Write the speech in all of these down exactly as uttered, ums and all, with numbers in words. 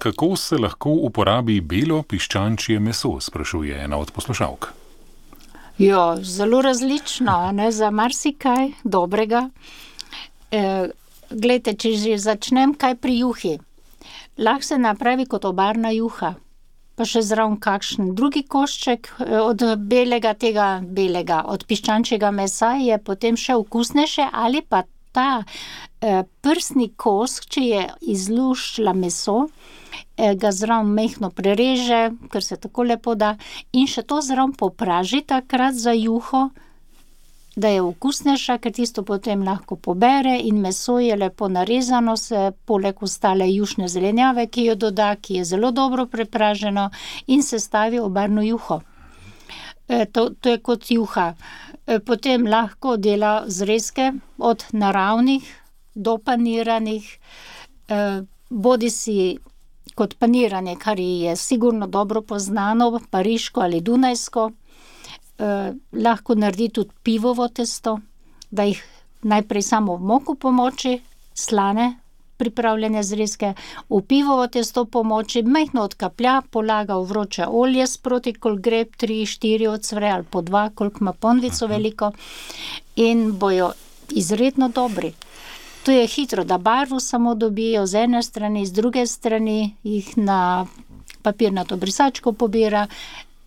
kako se lahko uporabi belo piščančje meso, sprašuje ena od poslušalk. Ja, zelo različno, ne, za marsikaj dobrega. E, glejte, če že začnem kaj pri juhi. Lahko se napravi kot obarna juha, pa še zraven kakšen drugi košček od belega tega belega, od piščančjega mesa je potem še okusnejše, ali pa ta eh, prsni kos, če je izluščila meso, eh, ga zraven mehko prereže, ker se tako lepo da, in še to zraven popraži takrat za juho, da je okusnejša, ker tisto potem lahko pobere in meso je lepo narezano, se poleg ostale jušne zelenjave, ki jo doda, ki je zelo dobro prepraženo in se stavi obarno juho. E, to, to je kot juha. E, potem lahko dela zrezke od naravnih do paniranih, e, bodi si kot paniranje, kar je sigurno dobro poznano, pariško ali dunajsko. Eh, lahko naredi tudi pivovo testo, da jih najprej samo v moku pomoči, slane pripravljene zrezke, v pivovo testo pomoči, majhno odkaplja, polaga v vroče olje sproti, koliko gre, tri, štiri ocvre ali po dva, koliko ima ponvico veliko, in bojo izredno dobri. To je hitro, da barvo samo dobijo z ene strani, z druge strani jih na papirnato brisačko pobira,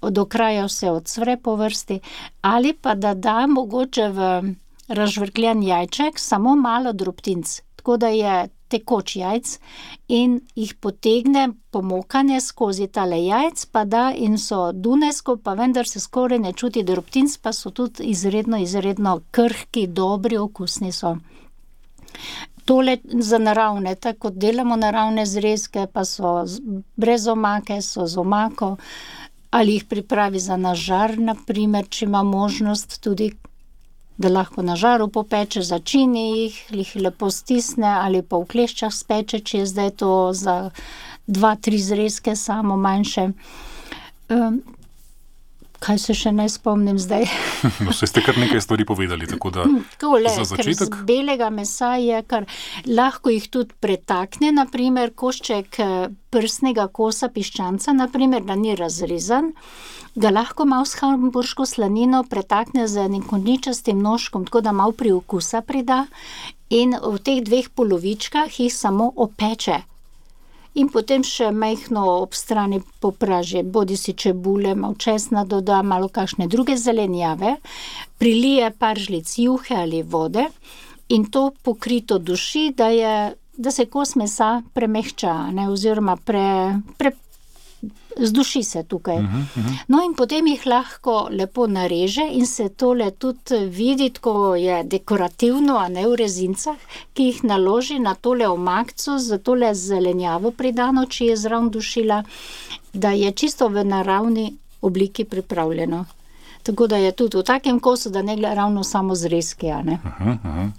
do kraja vse odsvre po vrsti, ali pa da da mogoče v razžvrkljen jajček samo malo drobtinc, tako da je tekoč jajc in jih potegne pomokanje skozi tale jajc, pa da in so dunajsko, pa vendar se skoraj ne čuti drobtinc, pa so tudi izredno, izredno krhki, dobri, okusni so. Tole za naravne, tako kot delamo naravne zrezke, pa so brez omake, so z omako, ali jih pripravi za na žar, na primer, če ima možnost tudi, da lahko na žaru popeče, začini jih, jih lepo stisne ali pa v kleščah speče, če je zdaj to za dva, tri zrezke samo manjše. Um, kaj se še ne spomnim zdaj? No, se ste kar nekaj stvari povedali, tako da Tole, za začetek. Ker z belega mesa je, kar lahko jih tudi pretakne, na primer, košček prsnega kosa piščanca, na primer, da ni razrezan, ga lahko malo s hamburško slanino pretakne z enim konjičastim nožkom, tako da malo priokusa prida in v teh dveh polovičkah jih samo opeče. In potem še majhno ob strani popraži, bodi si čebule, malo česna doda, malo kakšne druge zelenjave, prilije par žlic juhe ali vode in to pokrito duši, da je, da se kos mesa premehča, ne, oziroma pre, pre, zduši se tukaj. Uh-huh, uh-huh. No in potem jih lahko lepo nareže in se tole tudi vidi, ko je dekorativno, a ne v rezincah, ki jih naloži na tole omakco, za tole zelenjavo pridano, če je zraven dušila, da je čisto v naravni obliki pripravljeno. Tako da je tudi v takem kosu, da ne gre ravno samo zrezki, a ne. Uh-huh, uh-huh.